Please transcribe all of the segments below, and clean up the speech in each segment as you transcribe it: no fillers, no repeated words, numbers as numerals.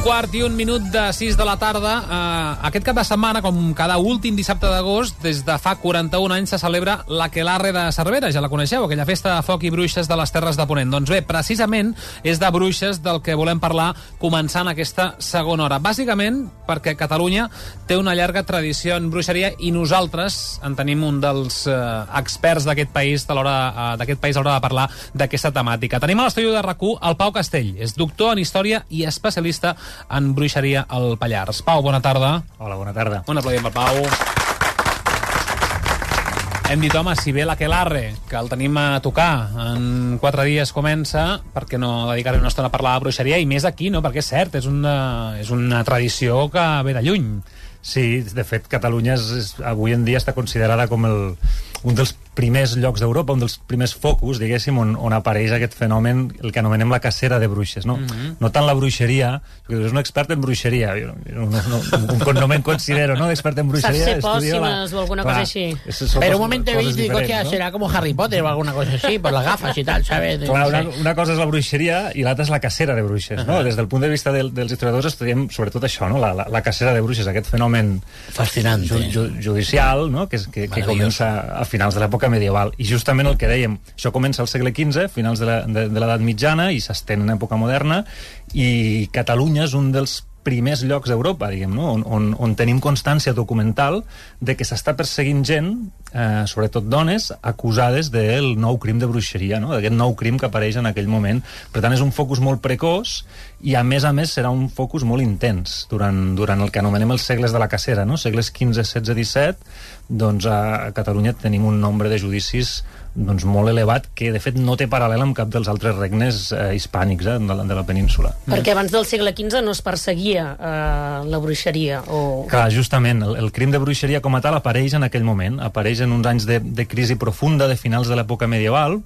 1:15 de 6 de la tarda. Aquest cap de setmana, com cada últim dissabte d'agost, des de fa 41 anys se celebra l'Aquelarre de Cervera. Ja la coneixeu, aquella festa de foc i bruixes de les Terres de Ponent. Doncs bé, precisament és de bruixes del que volem parlar començant aquesta segona hora. Bàsicament perquè Catalunya té una llarga tradició en bruixeria i nosaltres en tenim un dels experts d'aquest país a l'hora de parlar d'aquesta temàtica. Tenim a l'estudi de RAC1 el Pau Castell. És doctor en història i especialista en bruixeria al Pallars. Pau, bona tarda. Hola, bona tarda. Un aplaudiment per Pau. Hem dit, home, si ve l'Aquelarre, que el tenim a tocar, en 4 dies comença, per què no dedicar-hi una estona a parlar de bruixeria, i més aquí, no? Perquè és cert, és una tradició que ve de lluny. Sí, de fet, Catalunya avui en dia està considerada com un dels primers llocs d'Europa, un dels primers focus, diguéssim, on apareix aquest fenomen, el que anomenem la cacera de bruixes, no? No tant la bruixeria, perquè és un expert en bruixeria, no me'n considero, ¿no?, d'expert en bruixeria. Saps ser pòssimes o alguna cosa així. Pero un momento he visto, digo, hostia, será como Harry Potter o alguna cosa así, por las gafas y tal, ¿sabes? Clar, una cosa és la bruixeria i l'altra és la cacera de bruixes, no? Des del punt de vista dels historiadors estudiem sobretot això, no? La cacera de bruixes, aquest fenomen fascinante judicial, no? Que comença a finals de l'època medieval. I justament el que dèiem, això comença al segle XV, finals de l'edat mitjana, i s'estén en època moderna, i Catalunya és un dels primers llocs d'Europa, diguem, no? on tenim constància documental de que s'està perseguint gent, sobretot dones, acusades del nou crim de bruixeria, no? D'aquest nou crim que apareix en aquell moment. Per tant, és un focus molt precoç i, a més, serà un focus molt intens durant el que anomenem els segles de la cacera, no? Segles XV, XVI, XVII, doncs a Catalunya tenim un nombre de judicis molt elevat que, de fet, no té paral·lel amb cap dels altres regnes hispànics de la península. Perquè abans del segle XV no es perseguia la bruixeria? Clar, justament, el crim de bruixeria com a tal apareix en aquell moment, apareix en uns anys de crisi profunda de finals de l'època medieval,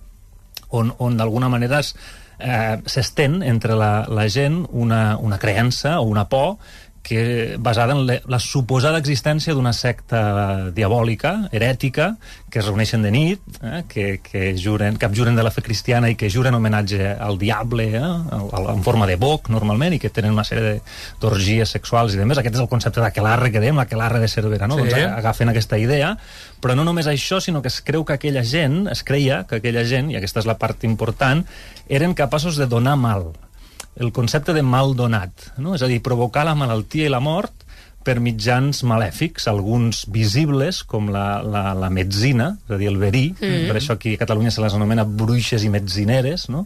on d'alguna manera s'estén entre la gent una creença o una por basada en la suposada existència d'una secta diabòlica, herètica, que es reuneixen de nit, que abjuren de la fe cristiana i que juren homenatge al diable, en forma de boc, normalment, i que tenen una sèrie d'orgies sexuals i demés. Aquest és el concepte d'Aquelarre que dèiem, l'Aquelarre de Cervera, no? Sí. Doncs agafen aquesta idea, però no només això, sinó que es creia que aquella gent, i aquesta és la part important, eren capaços de donar mal. El concepte de mal donat, no? És a dir, provocar la malaltia i la mort per mitjans malèfics, alguns visibles, com la metzina, és a dir, el verí, per això aquí a Catalunya se les anomena bruixes i metzineres, no?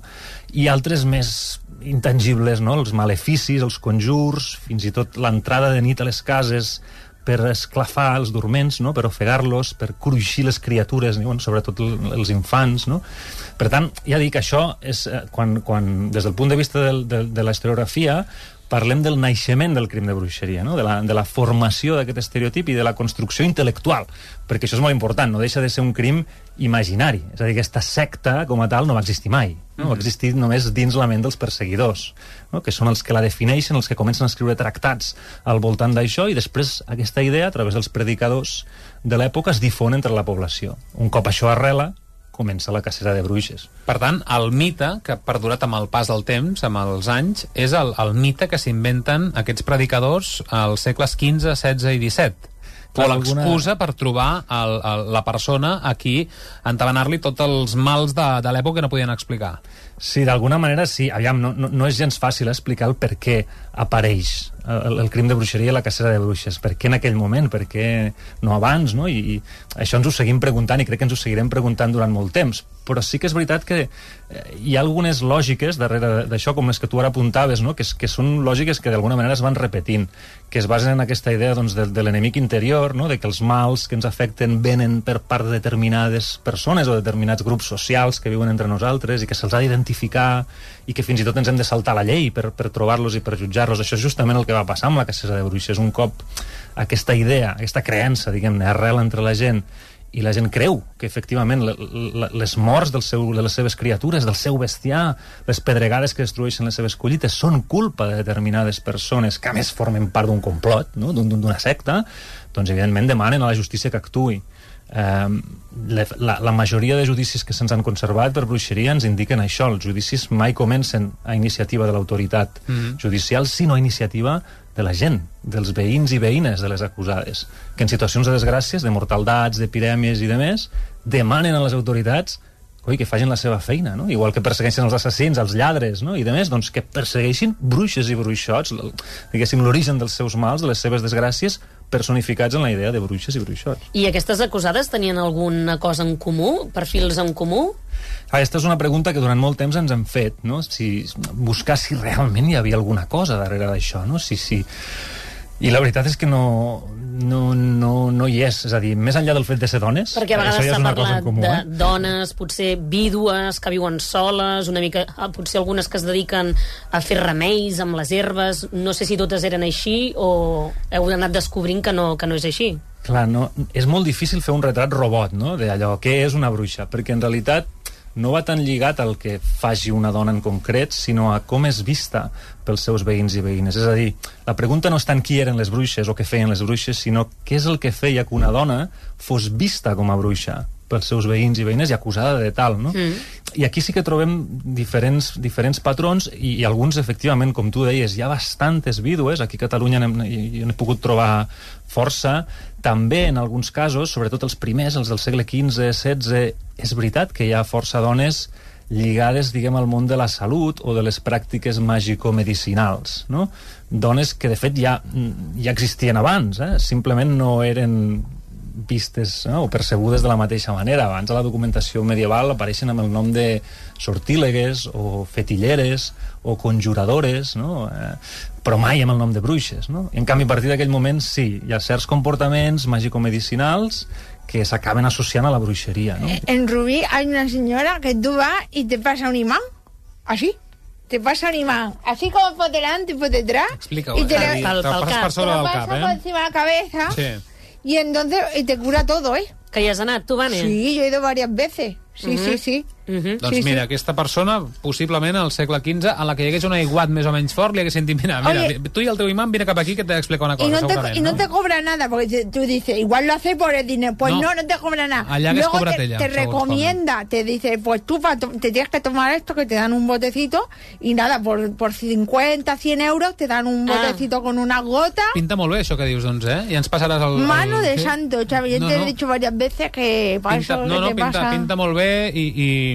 I altres més intangibles, no? Els maleficis, els conjurs, fins i tot l'entrada de nit a les cases per esclafar els dorments, no? Per ofegar-los, per cruixir les criatures, sobretot els infants, no? Per tant, ja dic, això és quan des del punt de vista de la historiografia parlem del naixement del crim de bruixeria, no? de la formació d'aquest estereotip i de la construcció intel·lectual, perquè això és molt important, no deixa de ser un crim imaginari, és a dir, aquesta secta com a tal no va existir mai, no? Va existir només dins la ment dels perseguidors, no? Que són els que la defineixen, els que comencen a escriure tractats al voltant d'això, i després aquesta idea, a través dels predicadors de l'època, es difon entre la població. Un cop això arrela, comença la cacera de bruixes. Per tant, el mite que ha perdurat amb el pas del temps, amb els anys, és el mite que s'inventen aquests predicadors als segles XV, XVI i XVII. O l'excusa per trobar la persona a qui entabanar-li tots els mals de l'època que no podien explicar. Sí, d'alguna manera sí. Aviam, no és gens fàcil explicar el per què apareix el crim de bruixeria i la cacera de bruixes. Per què en aquell moment? Per què no abans? No? I això ens ho seguim preguntant i crec que ens ho seguirem preguntant durant molt temps. Però sí que és veritat que hi ha algunes lògiques darrere d'això, com les que tu ara apuntaves, no? que són lògiques que d'alguna manera es van repetint, que es basen en aquesta idea doncs, de l'enemic interior, no? De que els mals que ens afecten venen per part de determinades persones o determinats grups socials que viuen entre nosaltres i que se'ls ha d'identificar i que fins i tot ens hem de saltar la llei per trobar-los i per jutjar-los. Això és justament el que va passar amb la cacera de bruixes. Un cop aquesta idea, aquesta creença, diguem-ne, arrela entre la gent i la gent creu que efectivament les morts de les seves criatures, del seu bestiar, les pedregades que destrueixen les seves collites són culpa de determinades persones que a més formen part d'un complot, no? D'una secta, doncs evidentment demanen a la justícia que actuï. La majoria de judicis que se'ns han conservat per bruixeria ens indiquen això. Els judicis mai comencen a iniciativa de l'autoritat judicial, sinó a iniciativa de la gent, dels veïns i veïnes de les acusades, que en situacions de desgràcies, de mortaldats, d'epidèmies i de més, demanen a les autoritats que facin la seva feina, no? Igual que persegueixen els assassins, els lladres, no? I de més, doncs, que persegueixin bruixes i bruixots, diguéssim, l'origen dels seus mals, de les seves desgràcies, personificats en la idea de bruixes i bruixots. I aquestes acusades tenien alguna cosa en comú? Perfils en comú? Aquesta és una pregunta que durant molt temps ens hem fet, no? Buscar si realment hi havia alguna cosa darrere d'això, no? I la veritat és que no hi és. És a dir, més enllà del fet de ser dones, perquè a vegades ja s'ha parlat comú, de dones, potser vídues, que viuen soles, una mica, potser algunes que es dediquen a fer remeis amb les herbes. No sé si totes eren així o heu anat descobrint que no és així. Clar, no, és molt difícil fer un retrat robot, no?, d'allò, què és una bruixa? Perquè en realitat no va tan lligat al que faci una dona en concret, sinó a com és vista pels seus veïns i veïnes. És a dir, la pregunta no és tant qui eren les bruixes o què feien les bruixes, sinó què és el que feia que una dona fos vista com a bruixa pels seus veïns i veïnes i acusada de tal, no? I aquí sí que trobem diferents patrons i alguns, efectivament, com tu deies, hi ha bastantes vídues. Aquí a Catalunya n'he pogut trobar força. També, en alguns casos, sobretot els primers, els del segle XV-XVI, és veritat que hi ha força dones lligades, diguem, al món de la salut o de les pràctiques màgico-medicinals, no? Dones que, de fet, ja existien abans, simplement no eren vistes, no?, o percebudes de la mateixa manera. Abans a la documentació medieval apareixen amb el nom de sortílegues o fetilleres o conjuradores, no?, però mai amb el nom de bruixes, no? I en canvi, a partir d'aquell moment, sí, hi ha certs comportaments màgico-medicinals que s'acaben associant a la bruixeria, no? En Rubí hay una señora que tú vas y te pasa un imán, así. Te pasa un imán, así como por delante y por detrás. Explica-ho. Y te Te lo passes per sobre del cap, por encima de la cabeza. Sí. Y entonces te cura todo, ¿eh? Que hi has anat, tu, Vane? Sí, yo he ido varias veces. Sí, sí. Doncs mira, aquesta persona, possiblement al segle XV, a la que hi hagués un aiguat més o menys fort, li haguessin dit, mira, tu y el teu imán, vine cap aquí que te explica una cosa, y no te cobra nada, porque tú dices, igual lo hace por el dinero. Pues no te cobra nada. Allá Luego te recomienda, te dice, pues tú te tienes que tomar esto, que te dan un botecito, y nada, por 50, 100 euros te dan un botecito con una gota. Pinta molt bé això que dius, doncs, I ens passaràs el... Mano de santo, Xavi, yo te he dicho varias veces que para eso te pasa... Pinta molt bé i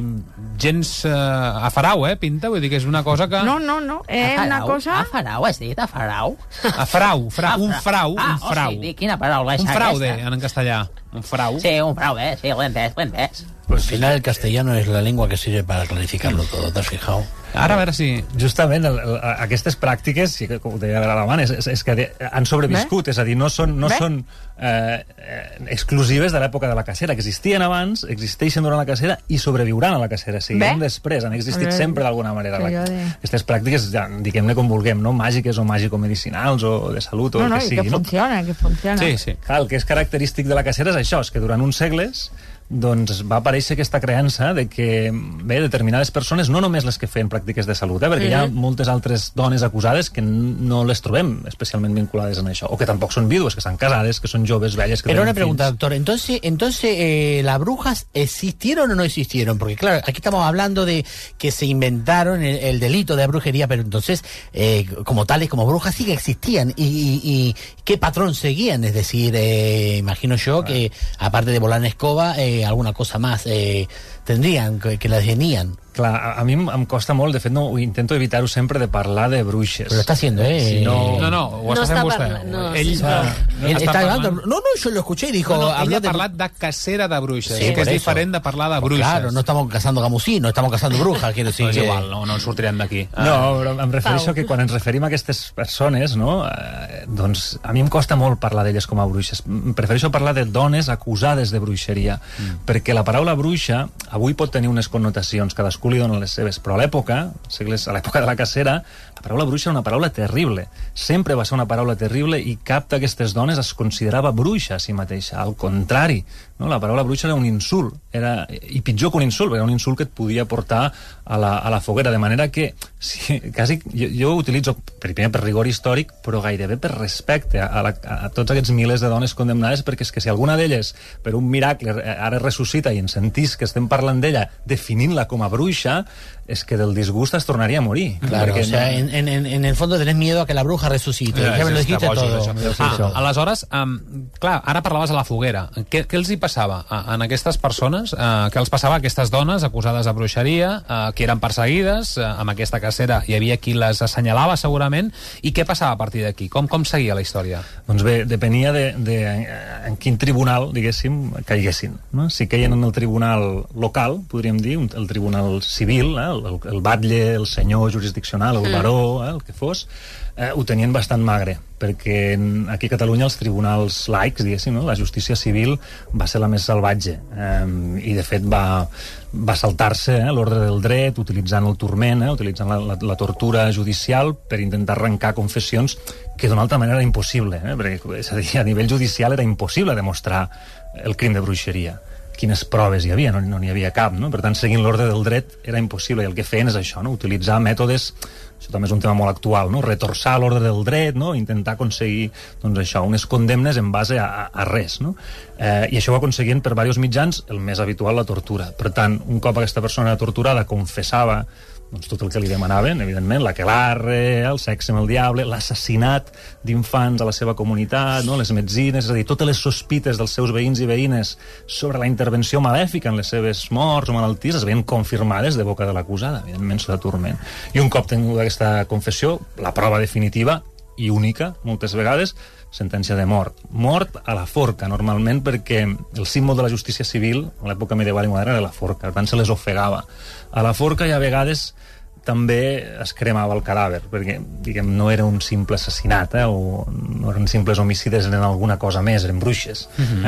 gens a farau, pinta, vull dir que és una cosa que... No, una cosa... A farau, has dit? A farau? A frau, un frau. O sigui, quina paraula és un fraude, aquesta? en castellà. Un frau. Sí, un fraude, sí, ho he entès. Pues al final el castellano es la lengua que sirve para clarificarlo todo, ¿te has fijado? Ara, a veure si... Justament, aquestes pràctiques, com ho deia l'Adamant, és que han sobreviscut, és a dir, no són exclusives de l'època de la cacera, que existien abans, existeixen durant la cacera i sobreviuran a la cacera, seguiran després, han existit sempre d'alguna manera. Aquestes pràctiques, diguem-ne com vulguem, no? Màgiques o màgico-medicinals o de salut o el que sigui. Que funciona. Sí. Clar, el que és característic de la cacera és això, és que durant uns segles doncs va aparèixer aquesta creença de que, determinades persones, no només les que feien pràctiques de salut, perquè hi ha moltes altres dones acusades que no les trobem especialment vinculades en això, o que tampoc són vídues, que estan casades, que són joves, velles, que Pero tenen una pregunta, fills. doctor, entonces ¿las brujas existieron o no existieron? Porque claro, aquí estamos hablando de que se inventaron el delito de brujería, pero entonces como tales, como brujas sí que existían y ¿qué patrón seguían? Es decir, imagino yo que aparte de volar en escoba alguna cosa más tendrían, que las tenían. Clar, a mi em costa molt, de fet no, intento evitar-ho sempre de parlar de bruixes. Pero está haciendo, Si No, ho està fent vostè. Ell está hablando. No, yo lo escuché y dijo... ell ha parlat de cacera de bruixes, Sí, que és por diferent de parlar de bruixes. Claro, no estamos cazando gamusinos, estamos cazando brujas, quiero decir. No és igual, no ens sortirem d'aquí. No, però em refereixo que quan ens referim a aquestes persones, no, doncs a mi em costa molt parlar d'elles com a bruixes. Prefereixo parlar de dones acusades de bruixeria, perquè la paraula bruixa avui pot tenir unes connotacions, cadascú li dona les seves, però a l'època, a l'època de la cacera, La paraula bruixa era una paraula terrible. Sempre va ser una paraula terrible i cap d'aquestes dones es considerava bruixa a si mateixa. Al contrari, no? La paraula bruixa era un insult. I pitjor que un insult, perquè era un insult que et podia portar a la foguera. De manera que quasi, jo ho utilitzo primer per rigor històric, però gairebé per respecte a tots aquests milers de dones condemnades, perquè és que si alguna d'elles, per un miracle, ara ressuscita i ens sentís que estem parlant d'ella definint-la com a bruixa, es que del disgust es tornaria a morir. Claro, o sea, en el fondo tenés miedo a que la bruja resucite. Ja me lo dijiste todo. Aleshores, clar, ara parlaves a la foguera. Què els hi passava en aquestes persones? Què els passava a aquestes dones acusades de bruixeria, que eren perseguides? Amb aquesta cacera hi havia qui les assenyalava segurament. I què passava a partir d'aquí? Com seguia la història? Doncs bé, depenia en quin tribunal, diguéssim, caiguessin. No? Si caien en el tribunal local, podríem dir, el tribunal civil, el batlle, el senyor jurisdiccional, el baró, el que fos, ho tenien bastant magre, perquè aquí a Catalunya els tribunals laics, diguéssim, no? La justícia civil va ser la més salvatge, i de fet va saltar-se l'ordre del dret, utilitzant el turment, utilitzant la tortura judicial per intentar arrencar confessions que d'una altra manera era impossible, perquè, és a dir, a nivell judicial era impossible demostrar el crim de bruixeria. Quines proves hi havia? No n'hi havia cap, no? Per tant, seguint l'ordre del dret era impossible, i el que feien és això, no? Utilitzar mètodes, això també és un tema molt actual, no? Retorçar l'ordre del dret, no? Intentar aconseguir, doncs això, unes condemnes en base a res, no? I això ho aconseguien per diversos mitjans, el més habitual, la tortura. Per tant, un cop aquesta persona era torturada, confessava doncs tot el que li demanaven, evidentment, l'aquelarre, el sexe amb el diable, l'assassinat d'infants a la seva comunitat, no? Les metzines, és a dir, totes les sospites dels seus veïns i veïnes sobre la intervenció malèfica en les seves morts o malalties es veien confirmades de boca de l'acusada, evidentment sota turment. I un cop tinguda aquesta confessió, la prova definitiva i única, moltes vegades, sentència de mort. Mort a la forca, normalment, perquè el símbol de la justícia civil, a l'època medieval i moderna, era la forca, per tant se les ofegava a la forca, i a vegades també es cremava el cadàver, perquè, diguem, no era un simple assassinat, o no eren simples homicides, eren alguna cosa més, eren bruixes,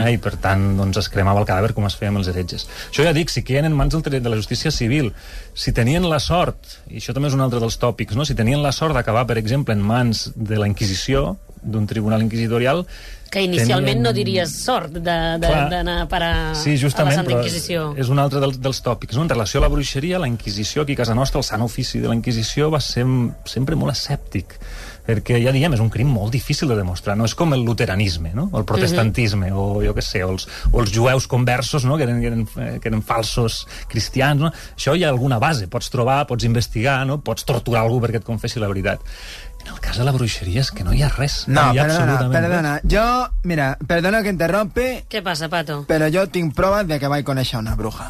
i per tant, doncs, es cremava el cadàver com es feia amb els heretges. Això ja dic, si queien en mans de la justícia civil, si tenien la sort, i això també és un altre dels tòpics, no? Si tenien la sort d'acabar, per exemple, en mans de la Inquisició, d'un tribunal inquisitorial, que inicialment no diries sort d'anar a parar a la Santa Inquisició. És un altre dels tòpics, no? En relació a la bruixeria, la Inquisició aquí a casa nostra, el Sant Ofici de la Inquisició, va ser sempre molt escèptic, perquè, ja diem, és un crim molt difícil de demostrar, no és com el luteranisme, no? O el protestantisme, o jo què sé, o els jueus conversos, no? que eren falsos cristians, no? Això hi ha alguna base, pots trobar, pots investigar, no? Pots torturar algú perquè et confessi la veritat. En el cas de la bruixeria és que no hi ha res. No, perdona. Jo, mira, perdona que interrompi. Què passa, Pato? Però jo tinc proves de que vaig conèixer una bruja.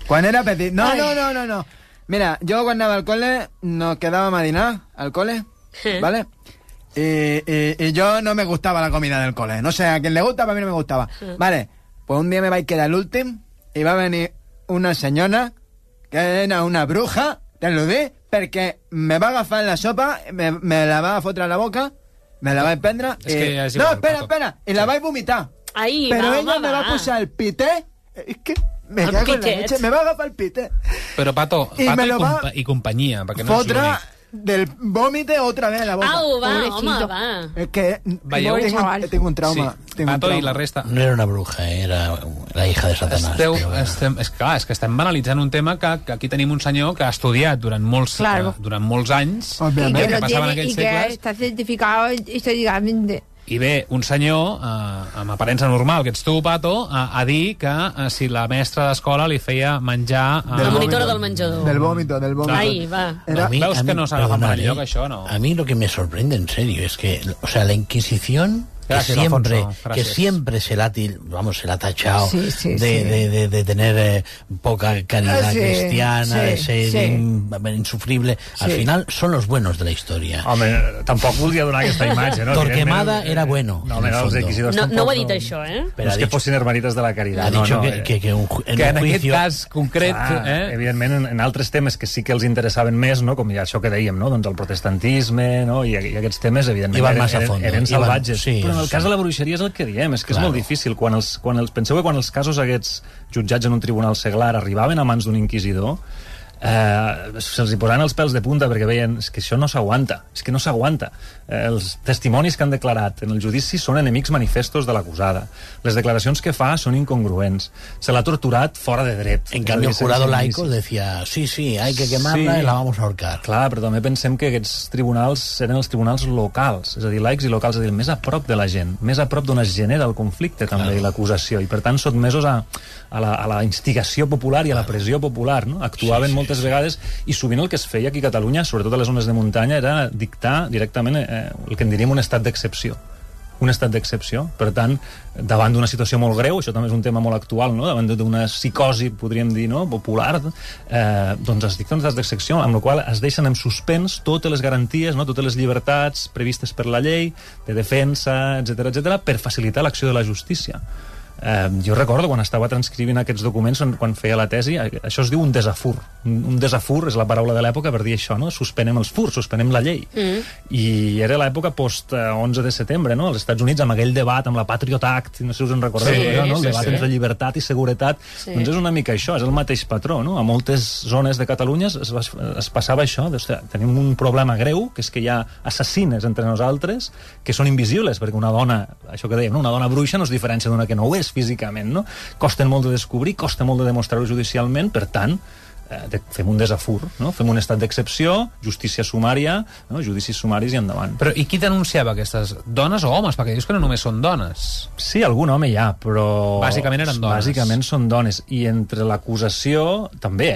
Quan era petit... No. Mira, jo quan anava al col·le nos quedàvem a dinar al col·le, ¿vale? Y yo no me gustaba la comida del cole. No sé, a quien le gusta, pero a mí no me gustaba. Vale, pues un día me va a quedar el último y va a venir una senyora que era una bruja, te lo dic, perquè me va agafar la sopa, me la va fotre a la boca, me la va prendre... No, espera, i la vaig vomitar. Ai, però ella me va posar el pité, és que me cago en la leche, me va agafar el pité. Però Pato i companyia, perquè no és l'únic. Del vómite otra vez a la boca. Au, va, home, va. Es que tengo un trauma. Pato i la resta. No era una bruja, era la hija de Satanás. És que estem banalitzant un tema que aquí tenim un senyor que ha estudiat durant molts anys, que passava en aquells segles. Y que está certificado históricamente. I ve un senyor, amb aparença normal, que ets tu, Pato, a dir que si la mestra d'escola li feia menjar... La monitora del menjador. Del vómito. Ahí, va. Veus que no s'agafa per enlloc, això, no? A mí lo que me sorprende, en serio, es que, o sea, la Inquisición... Que siempre se la ha tachado de tener poca caridad cristiana, de ser insufrible. Al final son los buenos de la historia. Home, tampoc volia donar aquesta imatge, no? Torquemada era bueno. No ho ha dit això, No és que fossin hermanites de la caritat. Ha dicho que en aquest cas concret... Evidentment, en altres temes que sí que els interessaven més, com ja això que dèiem, doncs el protestantisme, i aquests temes, evidentment, eren salvatges. En el cas de la bruixeria és el que diem, és que és molt difícil. Penseu que quan els casos aquests jutjats en un tribunal seglar arribaven a mans d'un inquisidor, se'ls hi posaven els pèls de punta perquè veien que això no s'aguanta, és que no s'aguanta. Els testimonis que han declarat en el judici són enemics manifestos de l'acusada. Les declaracions que fa són incongruents. Se l'ha torturat fora de dret. En cambio, el jurado laico decía, sí, hay que quemarla y la vamos a ahorcar. Clar, però també pensem que aquests tribunals eren els tribunals locals, és a dir, laics i locals, és a dir, més a prop de la gent, més a prop d'on es genera el conflicte també i l'acusació, i per tant sotmesos a la instigació popular i a la pressió popular, no? Actuaven moltes vegades, i sovint el que es feia aquí a Catalunya, sobretot a les zones de muntanya, era dictar directament el que en diríem un estat d'excepció. Un estat d'excepció. Per tant, davant d'una situació molt greu, això també és un tema molt actual, no? Davant d'una psicosi, podríem dir, no? Popular, doncs es dicta un estat d'excepció, amb la qual es deixen en suspens totes les garanties, no? Totes les llibertats previstes per la llei, de defensa, etc per facilitar l'acció de la justícia. Jo recordo quan estava transcrivint aquests documents, quan feia la tesi, això es diu un desafur. Un desafur és la paraula de l'època per dir això, no? Suspenem els furs, suspenem la llei. I era l'època post-11 de setembre, no? Als Estats Units, amb aquell debat, amb la Patriot Act, no sé si us en recordeu, no? El debat entre llibertat i seguretat. Doncs és una mica això, és el mateix patró, no? A moltes zones de Catalunya es passava això, tenim un problema greu, que és que hi ha assassines entre nosaltres que són invisibles, perquè una dona, això que dèiem, una dona bruixa no es diferència d'una que no ho és físicament, no? Costen molt de descobrir, costa molt de demostrar-ho judicialment, per tant, fem un desafur, no? Fem un estat d'excepció, justícia sumària, no? Judicis sumaris i endavant. Però i qui denunciava aquestes dones o homes? Perquè dius que no només són dones. Sí, algun home hi ha, però... Bàsicament eren dones. Bàsicament són dones. I entre l'acusació, també,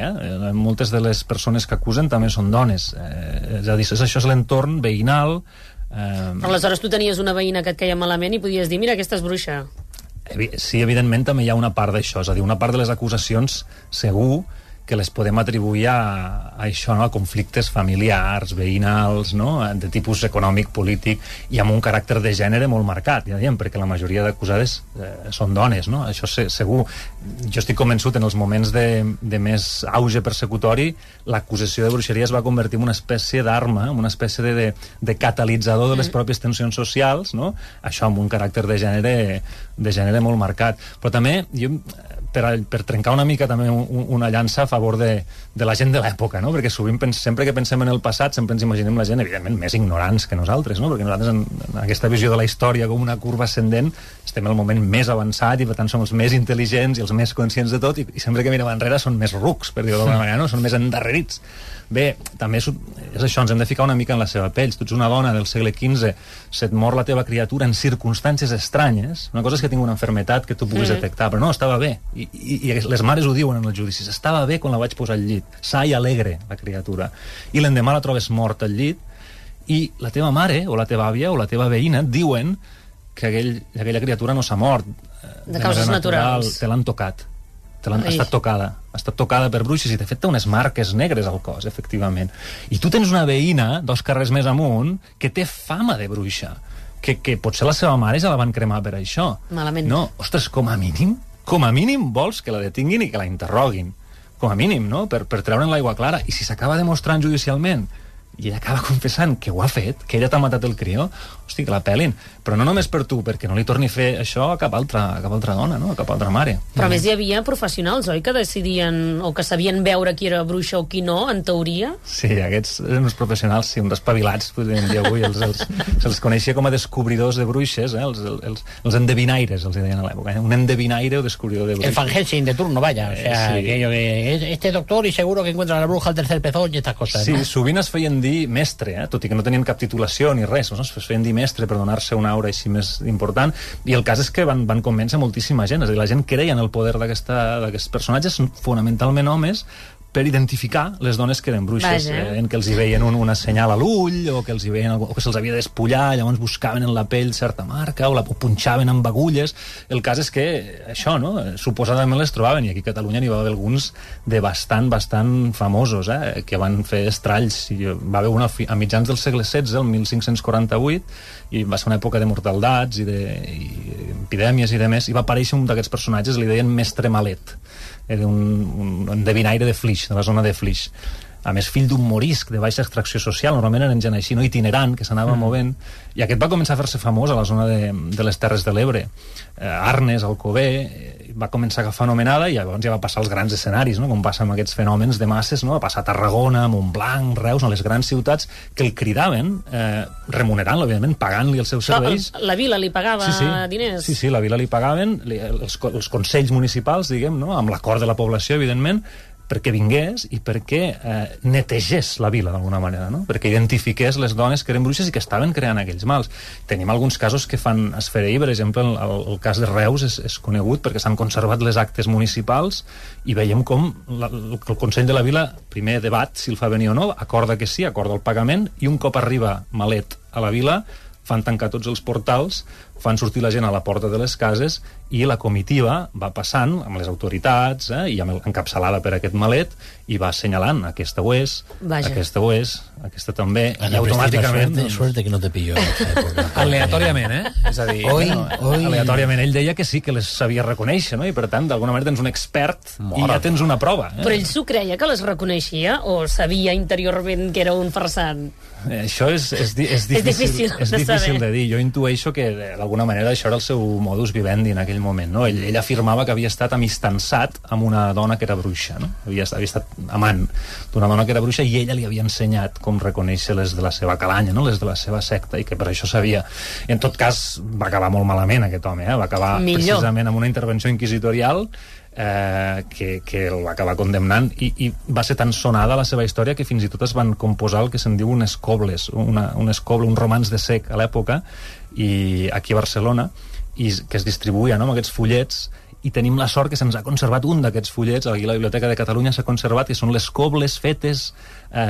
moltes de les persones que acusen també són dones. És a dir, això és l'entorn veïnal. Aleshores tu tenies una veïna que et queia malament i podies dir, mira, aquesta és bruixa. Sí, evidentment també hi ha una part d'això, és a dir, una part de les acusacions segur que les podem atribuir a això, no? A conflictes familiars, veïnals, no? De tipus econòmic, polític, i amb un caràcter de gènere molt marcat, ja diem, perquè la majoria d'acusades són dones, no? Això segur. Jo estic convençut, en els moments de més auge persecutori, l'acusació de bruixeria es va convertir en una espècie d'arma, en una espècie de catalitzador de les pròpies tensions socials, no? Això amb un caràcter de gènere molt marcat. Però també, per trencar una mica també una llança a favor de la gent de l'època, no? Perquè sovint, sempre que pensem en el passat, sempre ens imaginem la gent, evidentment, més ignorants que nosaltres, no? Perquè nosaltres, en aquesta visió de la història com una curva ascendent, estem al moment més avançat i, per tant, som els més intel·ligents i els més conscients de tot, i sempre que mirem enrere són més rucs, per dir-ho d'alguna manera, no? Són més endarrerits. Bé, també és això, ens hem de ficar una mica en la seva pell. Si tu ets una dona del segle XV, se't mor la teva criatura en circumstàncies estranyes, una cosa és que tingui una malaltia que tu puguis detectar, però no, estava bé. I les mares ho diuen en els judicis, estava bé quan la vaig posar al llit, sa i alegre la criatura, i l'endemà la trobes morta al llit, i la teva mare o la teva àvia o la teva veïna et diuen que aquella criatura no s'ha mort de causes naturals, te l'han tocat, ha estat tocada per bruixes, i de fet té unes marques negres al cos, efectivament. I tu tens una veïna 2 carrers més amunt que té fama de bruixa, que potser la seva mare ja la van cremar per això. Malament. No, ostres, com a mínim vols que la detinguin i que la interroguin, com a mínim, no? Per treure'n l'aigua clara. I si s'acaba demostrant judicialment i ella acaba confessant que ho ha fet, que ella t'ha matat el crió, hosti, que la pelin. Però no només per tu, perquè no li torni a fer això a cap altra dona, no? A cap altra mare. Però a més hi havia professionals, oi, que decidien o que sabien veure qui era bruixa o qui no, en teoria? Sí, aquests eren uns professionals, sí, uns espavilats, podríem dir avui. Se'ls coneixia com a descobridors de bruixes, els endevinaires, els deien a l'època. Un endevinaire o descobridor de bruixes. El Van Helsing de turno, vaya. O sea, que este doctor y seguro que encuentra la bruja al tercer pezón y estas cosas, sí, ¿no? Sovint es feien dir mestre, tot i que no tenien cap titulació ni res, no? Es feien dir mestre per donar-se una aura així més important, i el cas és que van convèncer moltíssima gent, és a dir, la gent creia en el poder d'aquests personatges, fonamentalment homes, per identificar les dones que eren bruixes, en que els hi veien una senyal a l'ull, o que els hi veien, o que se'ls havia despullar, llavors buscaven en la pell certa marca, o la punxaven amb agulles. El cas és que això, no? Suposadament les trobaven, i aquí a Catalunya n'hi va haver alguns de bastant famosos, que van fer estralls. Va haver una a mitjans del segle XVI, el 1548, i va ser una època de mortaldats i epidèmies i demés, i va aparèixer un d'aquests personatges, li deien Mestre Malet. Era un endevinaire de Flix, de la zona de Flix. A més, fill d'un morisc de baixa extracció social, normalment eren gent així, no itinerant, que s'anava movent, i aquest va començar a fer-se famós a la zona de les Terres de l'Ebre. Arnes, Alcover, va començar a agafar anomenada i llavors ja va passar als grans escenaris, no? Com passa amb aquests fenòmens de masses, no? Va passar a Tarragona, Montblanc, Reus, a les grans ciutats que el cridaven, remunerant-lo, òbviament, pagant-li els seus serveis. La vila li pagava diners? Sí, la vila li pagaven, els consells municipals, diguem, no? Amb l'acord de la població, evidentment, perquè vingués i perquè netegés la vila, d'alguna manera, no? Perquè identifiqués les dones que eren bruixes i que estaven creant aquells mals. Tenim alguns casos que fan esfereir, per exemple, el cas de Reus és conegut perquè s'han conservat les actes municipals i veiem com el Consell de la Vila primer debat si el fa venir o no, acorda que sí, acorda el pagament, i un cop arriba Malet a la vila fan tancar tots els portals, fan sortir la gent a la porta de les cases i la comitiva va passant amb les autoritats i encapçalada per aquest Malet i va assenyalant aquesta ho és, aquesta ho és, aquesta també, i automàticament... Suerte que no te pillo. Aleatòriament, És a dir... Aleatòriament. Ell deia que sí que les sabia reconèixer, no? I per tant, d'alguna manera tens un expert i ja tens una prova. Però ell s'ho creia que les reconeixia o sabia interiorment que era un farsant? Això és difícil de dir. Jo intueixo que d'alguna manera això era el seu modus vivendi en aquell moment, no? Ell afirmava que havia estat amistançat amb una dona que era bruixa, no? Havia estat amant d'una dona que era bruixa i ella li havia ensenyat com reconèixer les de la seva calanya, no? Les de la seva secta, i que per això sabia. En tot cas, va acabar molt malament aquest home, va acabar precisament amb una intervenció inquisitorial que el va acabar condemnant i va ser tan sonada la seva història que fins i tot es van composar el que se'n diu un romanç de sec a l'època, i aquí a Barcelona, i que es distribuïa, no?, amb aquests fullets, i tenim la sort que se'ns ha conservat un d'aquests fullets, aquí a la Biblioteca de Catalunya s'ha conservat, que són les cobles fetes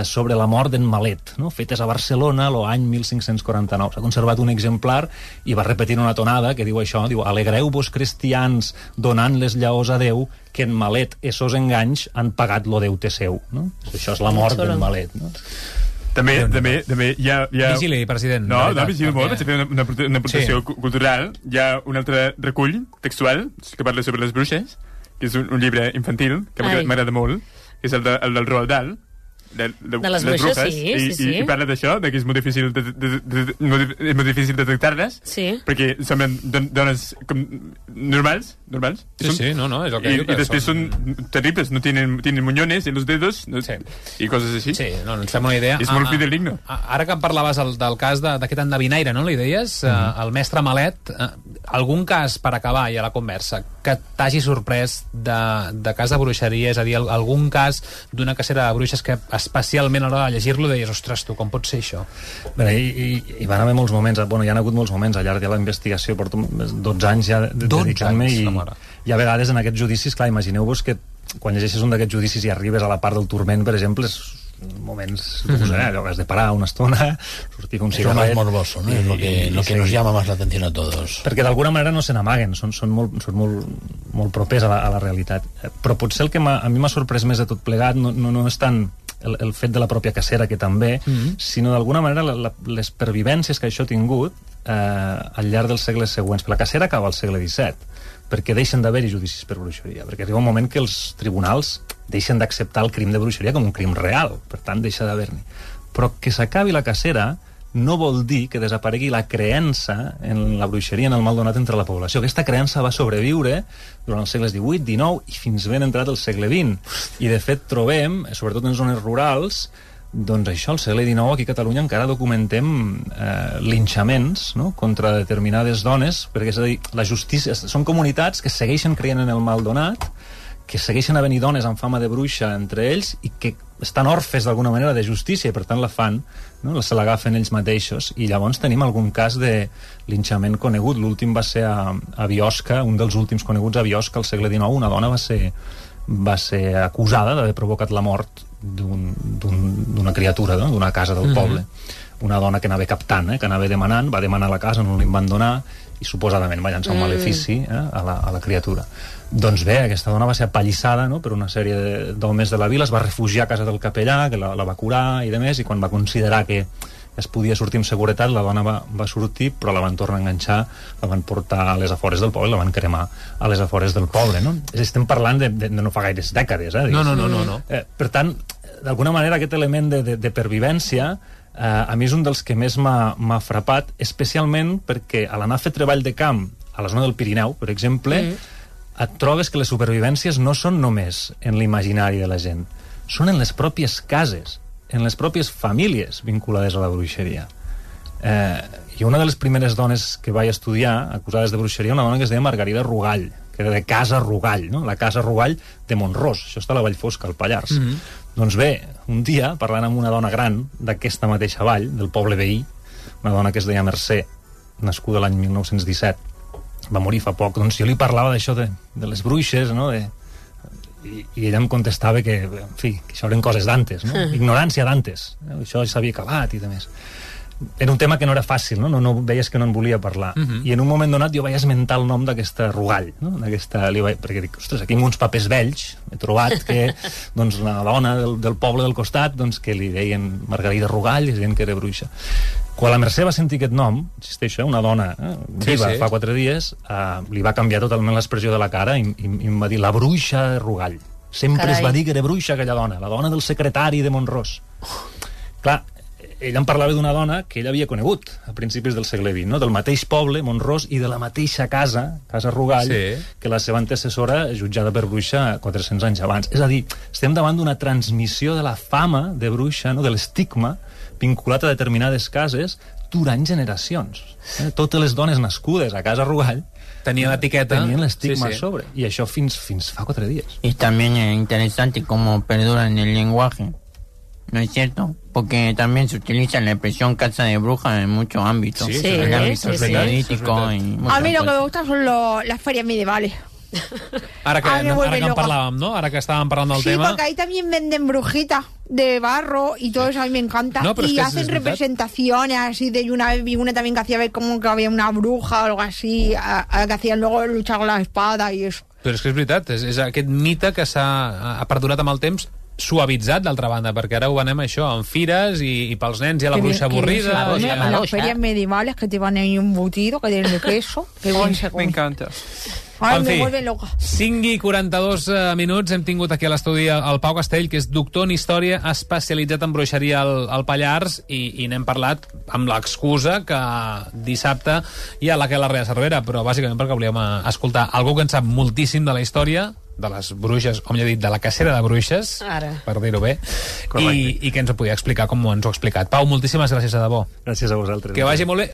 sobre la mort d'en Malet, no? Fetes a Barcelona l'any 1549. S'ha conservat un exemplar i va repetint una tonada que diu això, diu: alegreu-vos cristians donant les llaors a Déu, que en Malet essos enganys han pagat lo deute seu, no? Això és la mort d'en Malet, no? També hi ha... Vigili, president. No, vigili molt, vaig fer una aportació cultural. Hi ha un altre recull textual que parla sobre les bruixes, que és un llibre infantil que m'agrada molt, que és el del Roald Dahl, de les bruixes, i parla d'això, que és molt difícil detectar-les, perquè semblen dones normals. Sí, no, és el que diu. I després són terribles, no tienen muñones en los dedos i coses així. Sí, no, ens fem una idea. És molt fidedigno. Ara que em parlaves del cas d'aquest endevinaire, no, li deies, el mestre Malet, algun cas, per acabar ja la conversa, que t'hagi sorprès de cas de bruixeria, és a dir, algun cas d'una cacera de bruixes que especialment a l'hora de llegir-lo deies, ostres, tu, com pot ser això? Bé, hi van haver molts moments, hi ha hagut molts moments al llarg de la investigació, porto 12 anys ja dedicant-me, i a vegades en aquests judicis, clar, imagineu-vos que quan llegeixes un d'aquests judicis i arribes a la part del turment, per exemple, és moments has de parar una estona, sortir un cigarret. Es lo más morboso, ¿no? Es lo que nos llama más la atención a todos. Perquè d'alguna manera no se n'amaguen, són molt propers a la realitat. Però potser el que a mi m'ha sorprès més de tot plegat no és tant el fet de la pròpia cacera, que també, sinó d'alguna manera les pervivències que això ha tingut al llarg dels segles següents. La cacera acaba al segle XVII, perquè deixen d'haver-hi judicis per bruixeria, perquè arriba un moment que els tribunals deixen d'acceptar el crim de bruixeria com un crim real, per tant deixa d'haver-n'hi. Però que s'acabi la cacera no vol dir que desaparegui la creença en la bruixeria, en el mal donat entre la població. Aquesta creença va sobreviure durant els segles XVIII, XIX i fins ben entrat al segle XX. I de fet trobem, sobretot en zones rurals, doncs això, al segle XIX aquí a Catalunya encara documentem linxaments, no?, contra determinades dones, perquè és a dir, la justícia, són comunitats que segueixen creient en el mal donat, que segueixen havent-hi dones amb fama de bruixa entre ells i que estan orfes d'alguna manera de justícia i per tant la fan, no?, se l'agafen ells mateixos, i llavors tenim algun cas de linxament conegut. L'últim va ser a Biosca, un dels últims coneguts a Biosca al segle XIX. Una dona va ser acusada d'haver provocat la mort d'una criatura, no?, d'una casa del poble. Una dona que anava captant, que anava demanant, va demanar la casa, no li van donar, i suposadament va llançar un malefici a la criatura. Doncs bé, aquesta dona va ser apallissada, no?, per una sèrie d'homes de la vila, es va refugiar a casa del capellà, que la va curar i demés, i quan va considerar que es podia sortir amb seguretat, la dona va sortir, però la van tornar a enganxar, la van portar a les afores del poble, la van cremar a les afores del poble, no? Estem parlant de no fa gaires dècades, No. Per tant, d'alguna manera aquest element de pervivència a mi és un dels que més m'ha frapat, especialment perquè a l'anar a fer treball de camp a la zona del Pirineu, per exemple, et trobes que les supervivències no són només en l'imaginari de la gent, són en les pròpies cases, en les pròpies famílies vinculades a la bruixeria. I una de les primeres dones que vaig estudiar acusades de bruixeria, una dona que es deia Margarida Rugall, que era de Casa Rugall, no? La Casa Rugall de Mont-ros, això està a la Vallfosca, al Pallars. Doncs bé, un dia, parlant amb una dona gran d'aquesta mateixa vall, del poble veí, una dona que es deia Mercè, nascuda l'any 1917, va morir fa poc, doncs jo li parlava d'això de les bruixes, no? I ella em contestava que, en fi, que això eren coses d'antes, no? Ignorància d'antes, això s'havia acabat i de més. Era un tema que no era fàcil, no veies que no en volia parlar. I en un moment donat jo vaig esmentar el nom d'aquesta Rugall, no? Perquè dic, ostres, aquí en uns papers vells he trobat que doncs, una dona del poble del costat doncs, que li deien Margarida Rugall i deien que era bruixa. Quan la Mercè va sentir aquest nom, insisteixo, una dona viva fa 4 dies, li va canviar totalment l'expressió de la cara i em va dir la bruixa Rugall. Sempre es va dir que era bruixa aquella dona, la dona del secretari de Mont-ros. Clar, ella em parlava d'una dona que ella havia conegut a principis del segle XX, no? Del mateix poble, Mont-ros, i de la mateixa casa, Casa Rugall, que la seva antecessora jutjada per bruixa 400 anys abans. És a dir, estem davant d'una transmissió de la fama de bruixa, no? De l'estigma vinculat a determinades cases durant generacions. Totes les dones nascudes a Casa Rugall tenien l'etiqueta, tenien l'estigma a sobre, i això fins fa 4 dies. Y también es interesante cómo perduran el lenguaje, ¿no es cierto? Porque también se utiliza la expresión casa de brujas en muchos ámbitos. Sí, en el ámbito periodístico. Y a mí lo que me gustan son las ferias medievales. Ara que en parlàvem, ¿no? Ahora que estàvem parlant del tema. Sí, porque ahí también venden brujitas de barro y todo eso a mí me encanta. No, y hacen representaciones así de una vez vi una también que hacía ver como que había una bruja o algo así, que hacían luego luchar con las espadas y eso. Però és que és veritat, és aquest mite que ha perdurat amb el temps, suavitzat, d'altra banda, perquè ara ho venem això, en fires i pels nens hi ha la bruixa avorrida. Las ferias medievales que te van ahí un embutido que tienen de queso. Que me encanta. Ai, me vuelve loca. 5:42 minuts, hem tingut aquí a l'estudi el Pau Castell, que és doctor en història, especialitzat en bruixeria al Pallars, i n'hem parlat amb l'excusa que dissabte hi ha la Aquelarre de Cervera, però bàsicament perquè volíem escoltar algú que en sap moltíssim de la història, de les bruixes, o millor dit, de la cacera de bruixes, per dir-ho bé, i que ens ho podia explicar com ens ho ha explicat. Pau, moltíssimes gràcies, de debò. Gràcies a vosaltres. Que vagi molt bé.